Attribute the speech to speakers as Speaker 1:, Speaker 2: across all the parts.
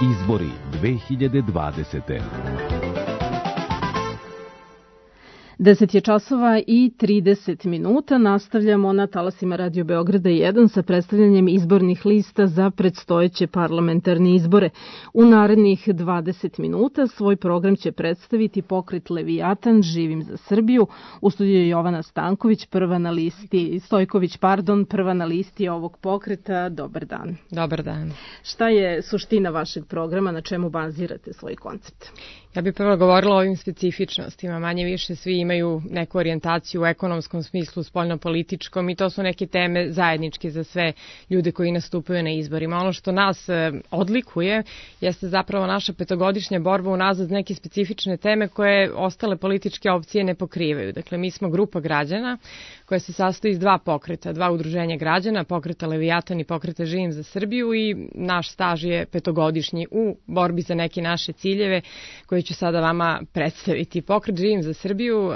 Speaker 1: Izbori 2020.
Speaker 2: 10 je časova i 30 minuta. Nastavljamo na talasima Radio Beograda 1 sa predstavljanjem izbornih lista za predstojeće parlamentarne izbore. U narednih 20 minuta svoj program će predstaviti pokret Leviatan Živim za Srbiju. U studiju je Jovana Stanković, prva na listi ovog pokreta. Dobar dan.
Speaker 3: Dobar dan.
Speaker 2: Šta je suština vašeg programa, na čemu bazirate svoj koncept?
Speaker 3: Ja bih prvo govorila o ovim specifičnostima. Manje više svi imaju neku orijentaciju u ekonomskom smislu, spoljnopolitičkom i to su neke teme zajedničke za sve ljude koji nastupaju na izborima. Ono što nas odlikuje jeste zapravo naša petogodišnja borba unazad neke specifične teme koje ostale političke opcije ne pokrivaju. Dakle, mi smo grupa građana koja se sastoji iz dva pokreta, dva udruženja građana, pokreta Leviatan i pokreta Živim za Srbiju i naš staž je petogodišnji u borbi za neke naše ciljeve koje ću sada vama predstaviti. Pokret Živim za Srbiju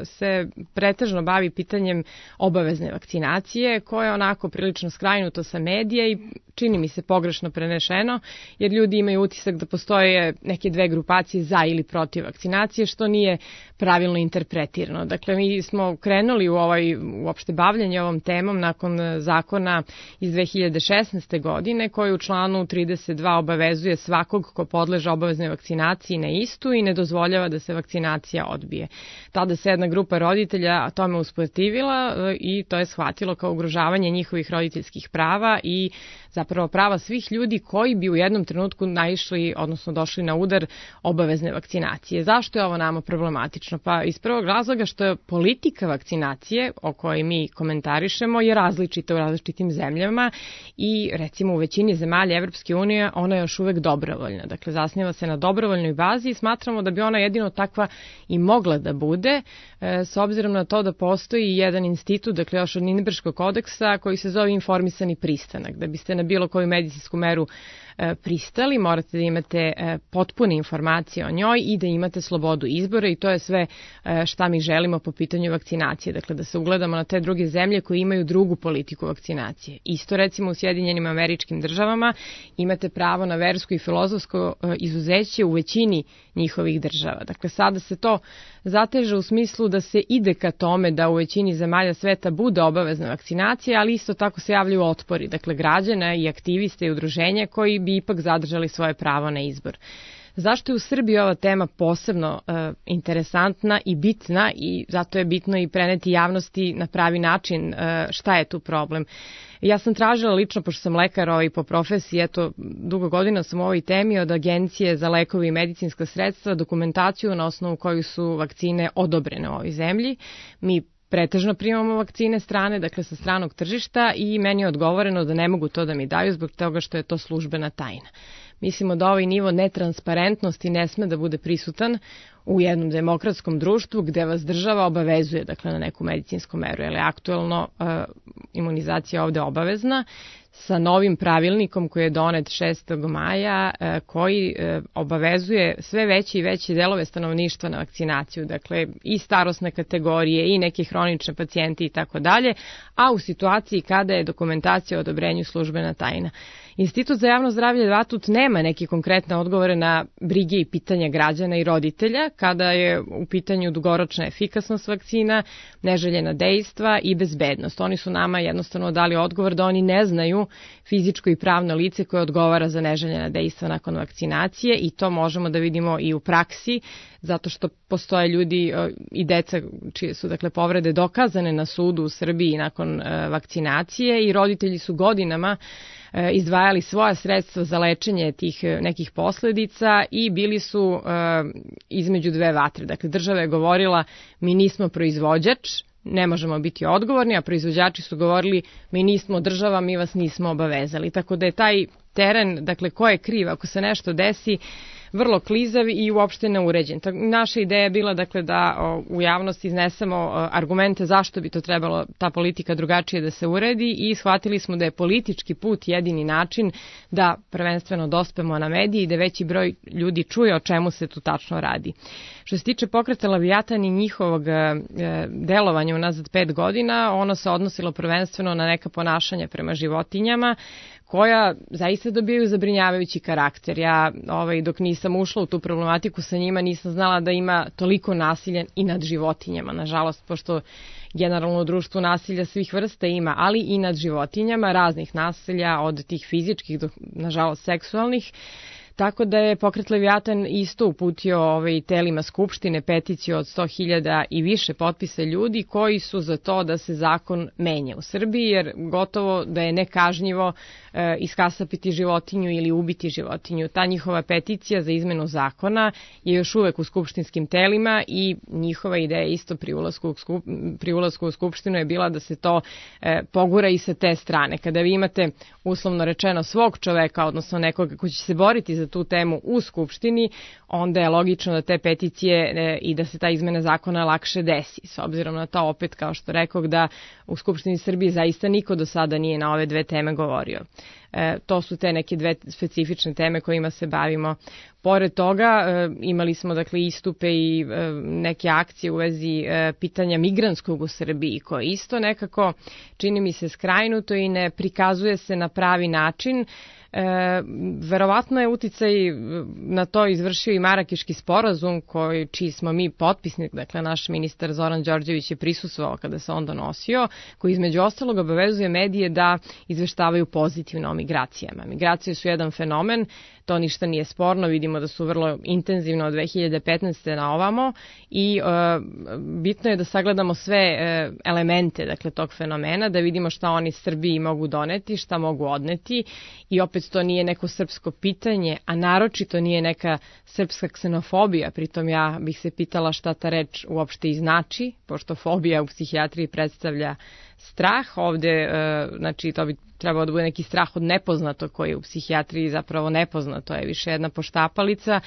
Speaker 3: se pretežno bavi pitanjem obavezne vakcinacije, koja je onako prilično skrajnuto sa medija i čini mi se pogrešno prenešeno, jer ljudi imaju utisak da postoje neke dve grupacije za ili protiv vakcinacije, što nije pravilno interpretirano. Dakle, mi smo krenuli u uopšte bavljanje ovom temom nakon zakona iz 2016. godine, koji u članu 32 obavezuje svakog ko podleže obaveznoj vakcinaciji na istu i ne dozvoljava da se vakcinacija odbije. Tada se jedna grupa roditelja tome usprotivila i to je shvatilo kao ugrožavanje njihovih roditeljskih prava i zapravo prava svih ljudi koji bi u jednom trenutku naišli, odnosno došli na udar obavezne vakcinacije. Zašto je ovo nama problematično? Pa iz prvog razloga što je politika vakcinacije o kojoj mi komentarišemo je različita u različitim zemljama i recimo u većini zemalja Evropske unije ona je još uvek dobrovoljna. Dakle, zasniva se na dobrovoljnoj bazi i smatramo da bi ona jedino takva i mogla da bude, s obzirom na to da postoji jedan institut, dakle još od Nirnberškog kodeksa, koji se zove informisani pristanak. Da biste na bilo koju medicinsku meru pristali, morate da imate potpune informacije o njoj i da imate slobodu izbora i to je sve šta mi želimo po pitanju vakcinacije. Dakle, da se ugledamo na te druge zemlje koje imaju drugu politiku vakcinacije. Isto recimo u Sjedinjenim Američkim Državama imate pravo na versko i filozofsko izuzeće u većini njihovih država. Dakle, sada se to zateže u smislu da se ide ka tome da u većini zemalja sveta bude obavezna vakcinacija, ali isto tako se javljaju otpori, dakle građana i aktiviste i udruženja koji bi ipak zadržali svoje pravo na izbor. Zašto je u Srbiji ova tema posebno interesantna i bitna i zato je bitno i preneti javnosti na pravi način šta je tu problem? Ja sam tražila lično, pošto sam lekar po profesiji, eto, dugo godina sam u ovoj temi od Agencije za lekove i medicinska sredstva, dokumentaciju na osnovu koju su vakcine odobrene u ovoj zemlji. Mi pretežno primamo vakcine strane, dakle sa stranog tržišta i meni je odgovoreno da ne mogu to da mi daju zbog toga što je to službena tajna. Mislimo da ovaj nivo netransparentnosti ne sme da bude prisutan u jednom demokratskom društvu gde vas država obavezuje, dakle, na neku medicinsku meru, jer je aktuelno imunizacija ovde obavezna, sa novim pravilnikom koji je donet 6. maja, koji obavezuje sve veće i veće delove stanovništva na vakcinaciju, dakle i starosne kategorije i neke hronične pacijente i tako dalje, a u situaciji kada je dokumentacija o odobrenju službena tajna. Institut za javno zdravlje Vatut nema neke konkretne odgovore na brige i pitanja građana i roditelja kada je u pitanju dugoročna efikasnost vakcina, neželjena dejstva i bezbednost. Oni su nama jednostavno dali odgovor da oni ne znaju fizičko i pravno lice koje odgovara za neželjena dejstva nakon vakcinacije i to možemo da vidimo i u praksi, zato što postoje ljudi i deca čije su dakle povrede dokazane na sudu u Srbiji nakon vakcinacije i roditelji su godinama izdvajali svoja sredstva za lečenje tih nekih posledica i bili su između dve vatre. Dakle, država je govorila mi nismo proizvođač, ne možemo biti odgovorni, a proizvođači su govorili mi nismo država, mi vas nismo obavezali. Tako da je taj teren, dakle ko je kriv ako se nešto desi, vrlo klizav i uopšte neuređen. Naša ideja je bila dakle da u javnosti iznesemo argumente zašto bi to trebalo ta politika drugačije da se uredi i shvatili smo da je politički put jedini način da prvenstveno dospemo na mediji i da veći broj ljudi čuje o čemu se tu tačno radi. Što se tiče pokreta Leviatan i njihovog delovanja unazad 5 godina, ono se odnosilo prvenstveno na neka ponašanja prema životinjama koja zaista dobijaju zabrinjavajući karakter. Ja dok nisam ušla u tu problematiku sa njima nisam znala da ima toliko nasilja i nad životinjama, nažalost, pošto generalno u društvu nasilja svih vrsta ima, ali i nad životinjama, raznih nasilja, od tih fizičkih do, nažalost, seksualnih. Tako da je Pokret Leviatan isto uputio telima Skupštine peticiju od 100.000 i više potpisa ljudi koji su za to da se zakon menja u Srbiji, jer gotovo da je nekažnjivo iskasapiti životinju ili ubiti životinju. Ta njihova peticija za izmenu zakona je još uvek u skupštinskim telima i njihova ideja isto pri ulasku u Skupštinu je bila da se to pogura i sa te strane. Kada vi imate, uslovno rečeno, svog čoveka, odnosno nekoga ko će se boriti za tu temu u Skupštini, onda je logično da te peticije i da se ta izmena zakona lakše desi. S obzirom na to, opet, kao što rekao, da u Skupštini Srbije zaista niko do sada nije na ove dve teme govorio. To su te neke dve specifične teme kojima se bavimo. Pored toga imali smo istupe i neke akcije u vezi pitanja migranskog u Srbiji, koje isto nekako čini mi se skrajnuto i ne prikazuje se na pravi način. Verovatno je uticaj na to izvršio i Marakeški sporazum čiji smo mi potpisnik, dakle naš ministar Zoran Đorđević je prisustvovao kada se on donosio, koji između ostalog obavezuje medije da izveštavaju pozitivno o migracijama. Migracije su jedan fenomen, to ništa nije sporno, vidimo da su vrlo intenzivno od 2015. na ovamo i bitno je da sagledamo sve elemente tog fenomena, da vidimo šta oni Srbiji mogu doneti, šta mogu odneti i opet to nije neko srpsko pitanje, a naročito nije neka srpska ksenofobija, pritom ja bih se pitala šta ta reč uopšte i znači, pošto fobija u psihijatriji predstavlja strah, ovde, to bi trebao da bude neki strah od nepoznatog koji je u psihijatriji zapravo nepoznato, je više jedna poštapalica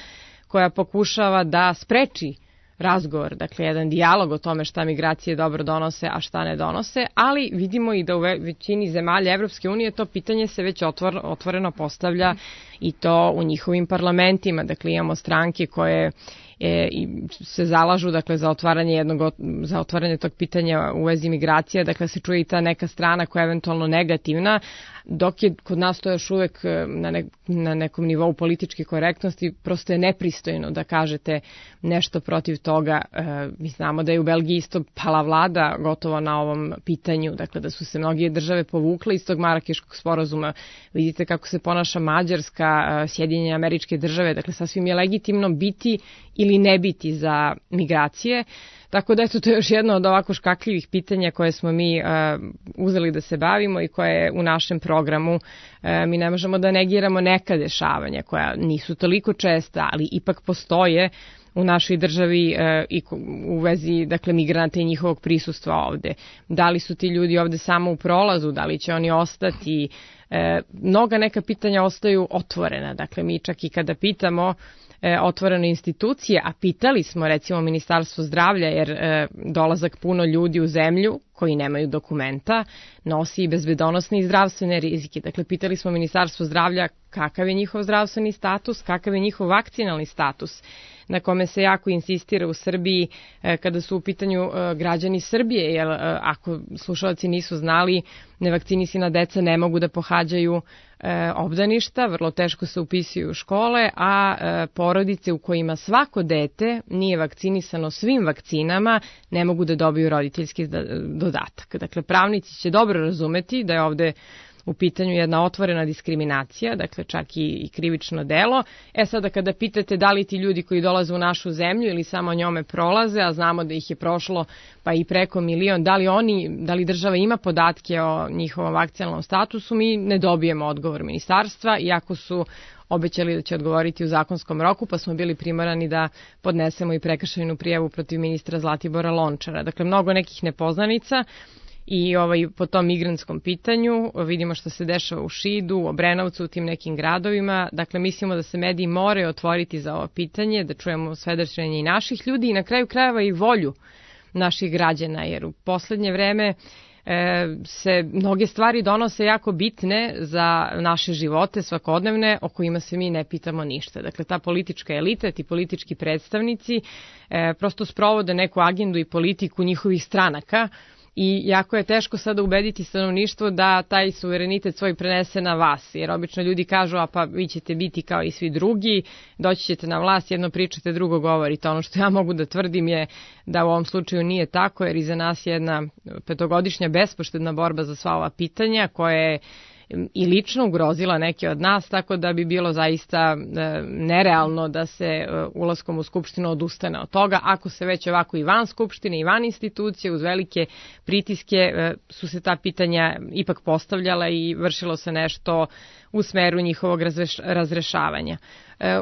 Speaker 3: koja pokušava da spreči razgovor, dakle jedan dijalog o tome šta migracije dobro donose, a šta ne donose, ali vidimo i da u većini zemalja Evropske unije to pitanje se već otvoreno postavlja i to u njihovim parlamentima, dakle imamo stranke koje se zalažu za otvaranje tog pitanja u vezi migracija, dakle se čuje i ta neka strana koja je eventualno negativna, dok je kod nas to još uvek na nekom nivou političke korektnosti, prosto je nepristojno da kažete nešto protiv toga. Mi znamo da je u Belgiji isto pala vlada gotovo na ovom pitanju, dakle da su se mnoge države povukle iz tog Marakeškog sporazuma. Vidite kako se ponaša Mađarska, Sjedinjene Američke Države, dakle sasvim je legitimno biti ili ne biti za migracije. Tako da to je još jedno od ovako škakljivih pitanja koje smo mi uzeli da se bavimo i koje je u našem programu. Mi ne možemo da negiramo neka dešavanja koja nisu toliko česta, ali ipak postoje u našoj državi i u vezi migranata i njihovog prisustva ovde. Da li su ti ljudi ovde samo u prolazu, da li će oni ostati? Mnoga neka pitanja ostaju otvorena. Dakle, mi čak i kada pitamo otvorene institucije, a pitali smo recimo Ministarstvo zdravlja, jer dolazak puno ljudi u zemlju koji nemaju dokumenta nosi i bezbedonosne i zdravstvene rizike. Dakle, pitali smo Ministarstvo zdravlja kakav je njihov zdravstveni status, kakav je njihov vakcinalni status, na kome se jako insistira u Srbiji kada su u pitanju građani Srbije, jer ako slušalci nisu znali, nevakcinisana deca ne mogu da pohađaju obdaništa, vrlo teško se upisuju u škole, a porodice u kojima svako dete nije vakcinisano svim vakcinama ne mogu da dobiju roditeljski dodatak. Dakle, pravnici će dobro razumeti da je ovde u pitanju jedna otvorena diskriminacija, dakle čak i krivično delo. Sada kada pitate da li ti ljudi koji dolaze u našu zemlju ili samo njome prolaze, a znamo da ih je prošlo pa i preko 1.000.000, da li država ima podatke o njihovom vakcinalnom statusu, mi ne dobijemo odgovor ministarstva, iako su obećali da će odgovoriti u zakonskom roku, pa smo bili primorani da podnesemo i prekršajnu prijavu protiv ministra Zlatibora Lončara. Dakle, mnogo nekih nepoznanica. I po tom migrantskom pitanju vidimo što se dešava u Šidu, u Obrenovcu, u tim nekim gradovima. Dakle, mislimo da se mediji moraju otvoriti za ovo pitanje, da čujemo svedočenje i naših ljudi i na kraju krajeva i volju naših građana, jer u poslednje vreme se mnoge stvari donose jako bitne za naše živote svakodnevne, o kojima se mi ne pitamo ništa. Dakle, ta politička elita, ti politički predstavnici prosto sprovode neku agendu i politiku njihovih stranaka i jako je teško sada ubediti stanovništvo da taj suverenitet svoj prenese na vas, jer obično ljudi kažu, a pa vi ćete biti kao i svi drugi, doći ćete na vlast, jedno pričate, drugo govorite. Ono što ja mogu da tvrdim je da u ovom slučaju nije tako, jer iza nas je jedna 5-godišnja bespoštedna borba za sva ova pitanja koja je i lično ugrozila neke od nas, tako da bi bilo zaista nerealno da se ulaskom u Skupštinu odustane od toga. Ako se već ovako i van Skupštine i van institucije uz velike pritiske su se ta pitanja ipak postavljala i vršilo se nešto u smeru njihovog razrešavanja.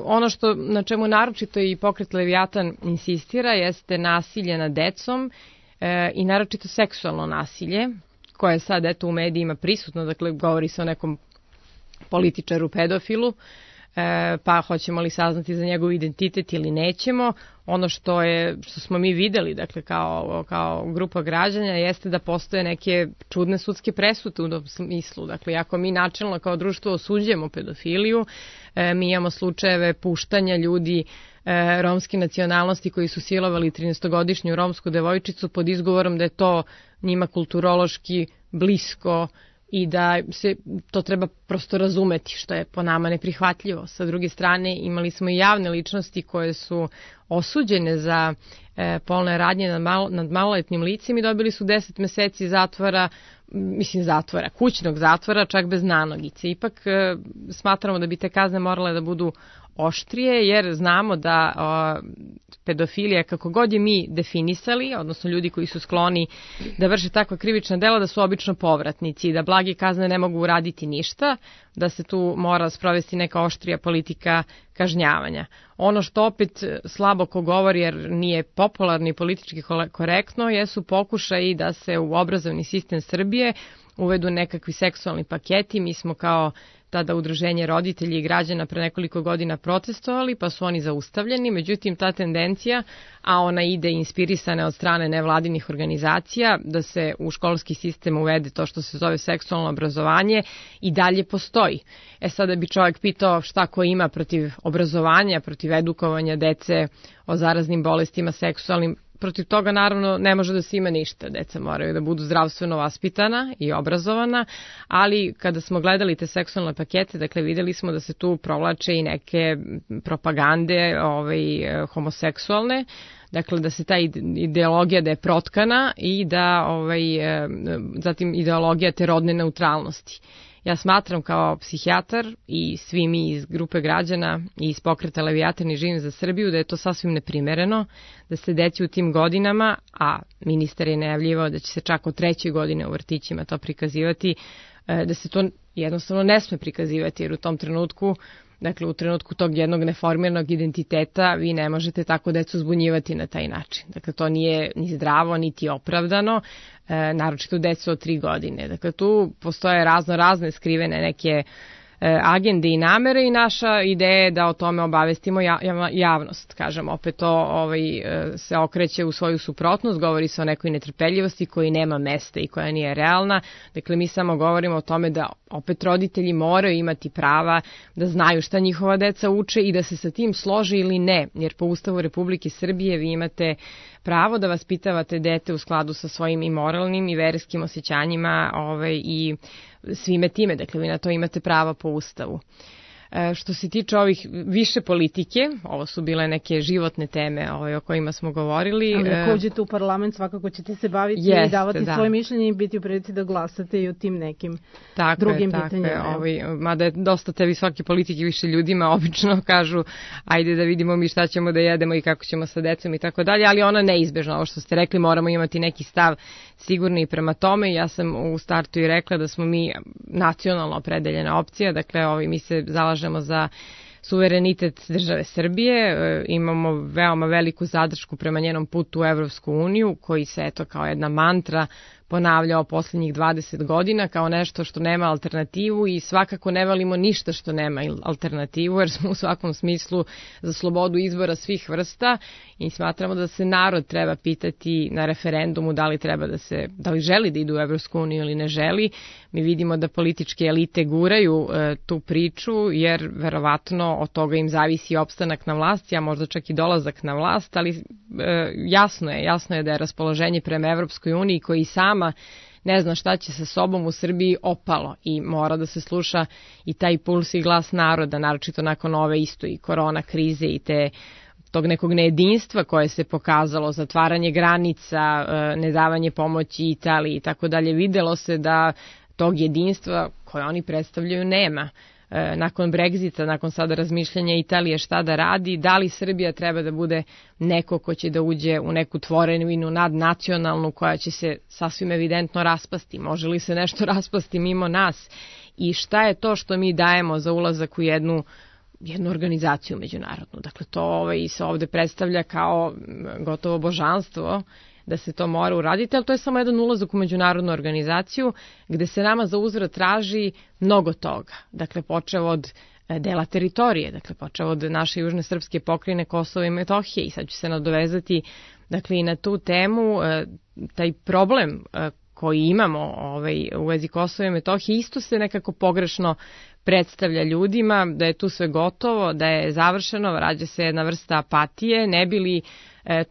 Speaker 3: Ono što na čemu naročito i pokret Leviatan insistira jeste nasilje nad decom i naročito seksualno nasilje, koje je sad eto u medijima prisutno, dakle govori se o nekom političaru pedofilu, pa hoćemo li saznati za njegov identitet ili nećemo. Ono što smo mi videli, dakle kao grupa građana, jeste da postoje neke čudne sudske presude u tom smislu. Dakle, ako mi načelno kao društvo osuđujemo pedofiliju, mi imamo slučajeve puštanja ljudi romske nacionalnosti koji su silovali 13-godišnju romsku devojčicu pod izgovorom da je to njima kulturološki blisko i da se to treba prosto razumeti, što je po nama neprihvatljivo. Sa druge strane, imali smo i javne ličnosti koje su osuđene za polne radnje nad maloletnim licem i dobili su 10 meseci kućnog zatvora, čak bez nanogice. Ipak smatramo da bi te kazne morale da budu oštrije, jer znamo da pedofilija, kako god je mi definisali, odnosno ljudi koji su skloni da vrše takva krivična dela, da su obično povratnici i da blage kazne ne mogu uraditi ništa, da se tu mora sprovesti neka oštrija politika kažnjavanja. Ono što opet slabo ko govori, jer nije popularno i politički korektno, jesu pokušaji da se u obrazovni sistem Srbije uvedu nekakvi seksualni paketi. Mi smo kao tada udruženje roditelji i građana pre nekoliko godina protestovali, pa su oni zaustavljeni. Međutim, ta tendencija, a ona ide inspirisana od strane nevladinih organizacija, da se u školski sistem uvede to što se zove seksualno obrazovanje, i dalje postoji. Sada bi čovjek pitao šta ko ima protiv obrazovanja, protiv edukovanja dece o zaraznim bolestima seksualnim. Protiv toga naravno ne može da se ima ništa. Deca moraju da budu zdravstveno vaspitana i obrazovana, ali kada smo gledali te seksualne pakete, dakle videli smo da se tu provlače i neke propagande homoseksualne, dakle da se ta ideologija da je protkana i da zatim ideologija te rodne neutralnosti. Ja smatram kao psihijatar i svi mi iz grupe građana i iz pokreta Leviatan i Živim za Srbiju da je to sasvim neprimereno, da se deci u tim godinama, a ministar je najavljivao da će se čak od 3. godine u vrtićima to prikazivati, da se to jednostavno ne sme prikazivati, jer u tom trenutku, dakle u trenutku tog jednog neformiranog identiteta, vi ne možete tako decu zbunjivati na taj način. Dakle, to nije ni zdravo, niti opravdano, naročito decu od 3 godine. Dakle, tu postoje razne skrivene neke agende i namere i naša ideja je da o tome obavestimo javnost. Kažem, opet to se okreće u svoju suprotnost, govori se o nekoj netrpeljivosti koji nema mesta i koja nije realna. Dakle, mi samo govorimo o tome da opet roditelji moraju imati prava da znaju šta njihova deca uče i da se sa tim složi ili ne, jer po Ustavu Republike Srbije vi imate pravo da vaspitavate dete u skladu sa svojim i moralnim i verskim osjećanjima i svime time, dakle vi na to imate pravo po Ustavu. Što se tiče ovih više politike, ovo su bile neke životne teme o kojima smo govorili.
Speaker 2: Ali ako uđete u parlament, svakako ćete se baviti i davati svoje mišljenje i biti u prilici da glasate i o tim nekim drugim pitanjima.
Speaker 3: Mada je dosta te visoke politike, više ljudima obično kažu ajde da vidimo mi šta ćemo da jedemo i kako ćemo sa decom i tako dalje, ali ona neizbežna, ovo što ste rekli, moramo imati neki stav sigurni i prema tome. Ja sam u startu i rekla da smo mi nacionalno opredeljena opcija, dakle mi se zalažemo za suverenitet države Srbije, imamo veoma veliku zadršku prema njenom putu u Evropsku uniju, koji se kao jedna mantra ponavljao posljednjih 20 godina kao nešto što nema alternativu i svakako ne volimo ništa što nema alternativu, jer smo u svakom smislu za slobodu izbora svih vrsta i smatramo da se narod treba pitati na referendumu da li želi da idu u Evropsku uniju ili ne želi. Mi vidimo da političke elite guraju tu priču, jer verovatno od toga im zavisi opstanak na vlasti, a možda čak i dolazak na vlast, ali jasno je da je raspoloženje prema Evropskoj uniji, koji sama nama ne zna šta će sa sobom u Srbiji, opalo i mora da se sluša i taj puls i glas naroda, naročito nakon ove isto i korona krize i tog nekog nejedinstva koje se pokazalo, zatvaranje granica, nedavanje pomoći Italiji i tako dalje. Videlo se da tog jedinstva koje oni predstavljaju nema. Nakon Brexita, nakon sada razmišljanja Italije šta da radi, da li Srbija treba da bude neko ko će da uđe u neku tvorevinu nadnacionalnu koja će se sasvim evidentno raspasti. Može li se nešto raspasti mimo nas? I šta je to što mi dajemo za ulazak u jednu organizaciju međunarodnu? Dakle, to se ovde predstavlja kao gotovo božanstvo da se to mora uraditi, ali to je samo jedan ulazak u međunarodnu organizaciju gde se nama za uzvrat traži mnogo toga. Dakle, počev od dela teritorije, dakle, počev od naše južne srpske pokrajine Kosova i Metohije i sad ću se nadovezati i na tu temu, taj problem koji imamo u vezi Kosova i Metohije isto se nekako pogrešno predstavlja ljudima, da je tu sve gotovo, da je završeno, rađa se jedna vrsta apatije, ne bi li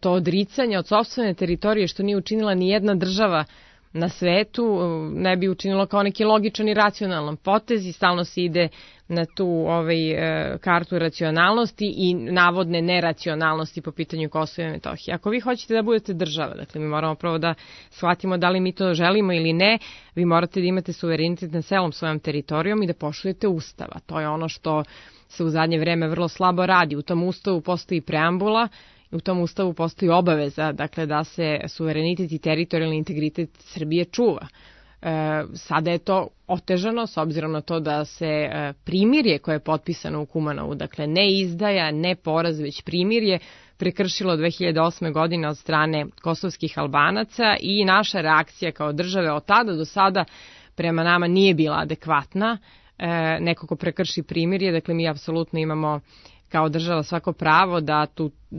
Speaker 3: to odricanje od sopstvene teritorije što nije učinila ni jedna država na svetu, ne bi učinilo kao neki logičan i racionalan potez i stalno se ide na tu kartu racionalnosti i navodne neracionalnosti po pitanju Kosova i Metohije. Ako vi hoćete da budete država, dakle mi moramo prvo da shvatimo da li mi to želimo ili ne, vi morate da imate suverenitet na celom svojom teritorijom i da poštujete Ustava. To je ono što se u zadnje vreme vrlo slabo radi. U tom Ustavu postoji preambula, u tom Ustavu postoji obaveza, dakle, da se suverenitet i teritorijalni integritet Srbije čuva. Sada je to otežano s obzirom na to da se primirje koje je potpisano u Kumanovu, dakle ne izdaja, ne poraz, već primirje, prekršilo 2008. godine od strane kosovskih Albanaca i naša reakcija kao države od tada do sada prema nama nije bila adekvatna. Neko ko prekrši primirje, dakle mi apsolutno imamo kao država svako pravo da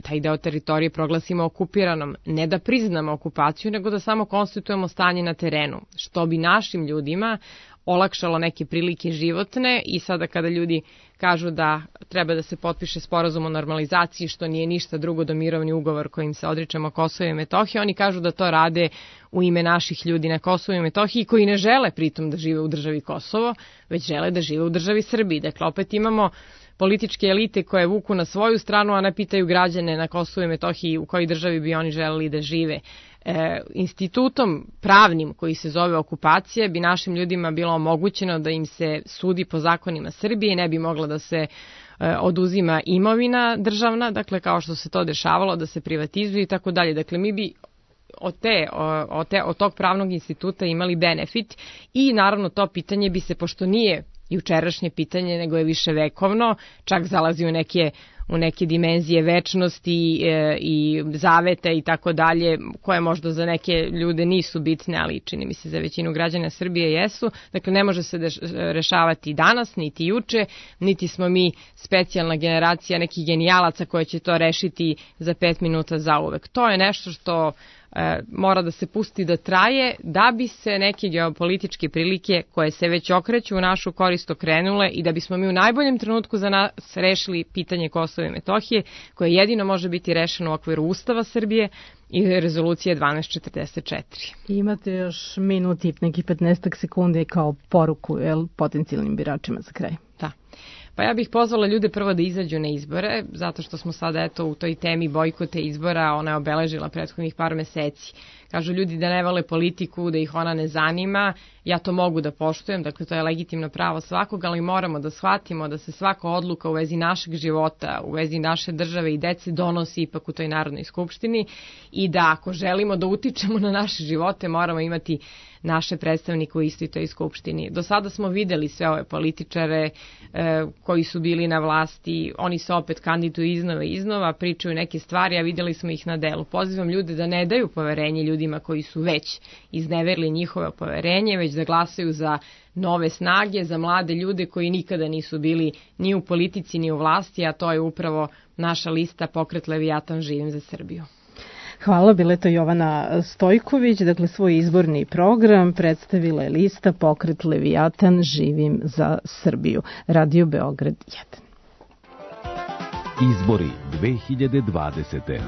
Speaker 3: taj deo teritorije proglasimo okupiranom, ne da priznamo okupaciju, nego da samo konstituujemo stanje na terenu, što bi našim ljudima olakšalo neke prilike životne i sada kada ljudi kažu da treba da se potpiše sporazum o normalizaciji, što nije ništa drugo do mirovni ugovor kojim se odričemo Kosova i Metohije, oni kažu da to rade u ime naših ljudi na Kosovu i Metohiji koji ne žele pritom da žive u državi Kosovo, već žele da žive u državi Srbiji. Dakle, opet imamo političke elite koje vuku na svoju stranu, a ne pitaju građane na Kosovu i Metohiji u kojoj državi bi oni želeli da žive. Institutom pravnim koji se zove okupacija bi našim ljudima bilo omogućeno da im se sudi po zakonima Srbije, ne bi mogla da se oduzima imovina državna, dakle kao što se to dešavalo, da se privatizuje i tako dalje. Dakle, mi bi od tog pravnog instituta imali benefit i naravno to pitanje bi se, pošto nije jučerašnje pitanje, nego je više vekovno, čak zalazi u neke dimenzije večnosti i zaveta i tako dalje, koje možda za neke ljude nisu bitne, ali čini mi se za većinu građana Srbije jesu. Dakle, ne može se rešavati danas, niti juče, niti smo mi specijalna generacija nekih genijalaca koje će to rešiti za 5 minuta zauvek. To je nešto što mora da se pusti da traje, da bi se neke geopolitičke prilike koje se već okreću u našu korist okrenule i da bismo mi u najboljem trenutku za nas rešili pitanje Kosova i Metohije, koje jedino može biti rešeno u okviru Ustava Srbije i rezolucije 1244.
Speaker 2: Imate još minut i nekih 15 sekundi kao poruku potencijalnim biračima za kraj.
Speaker 3: Da. Pa ja bih pozvala ljude prvo da izađu na izbore, zato što smo sada u toj temi bojkote izbora, ona je obeležila prethodnih par meseci. Kažu ljudi da ne vole politiku, da ih ona ne zanima, ja to mogu da poštujem, dakle to je legitimno pravo svakog, ali moramo da shvatimo da se svaka odluka u vezi našeg života, u vezi naše države i dece donosi ipak u toj Narodnoj skupštini i da ako želimo da utičemo na naše živote, moramo imati naše predstavnike u istoj toj skupštini. Do sada smo videli sve ove političare koji su bili na vlasti, oni se opet kandiduju iznova, pričaju neke stvari, a videli smo ih na delu. Pozivam ljude da ne daju poverenje ljudima koji su već izneverili njihove poverenje, već da glasaju za nove snage, za mlade ljude koji nikada nisu bili ni u politici ni u vlasti, a to je upravo naša lista Pokret Leviatan živim za Srbiju.
Speaker 2: Hvala, bila je to Jovana Stojković, dakle svoj izborni program predstavila je lista Pokret Leviatan živim za Srbiju. Radio Beograd 1.
Speaker 1: Izbori 2020.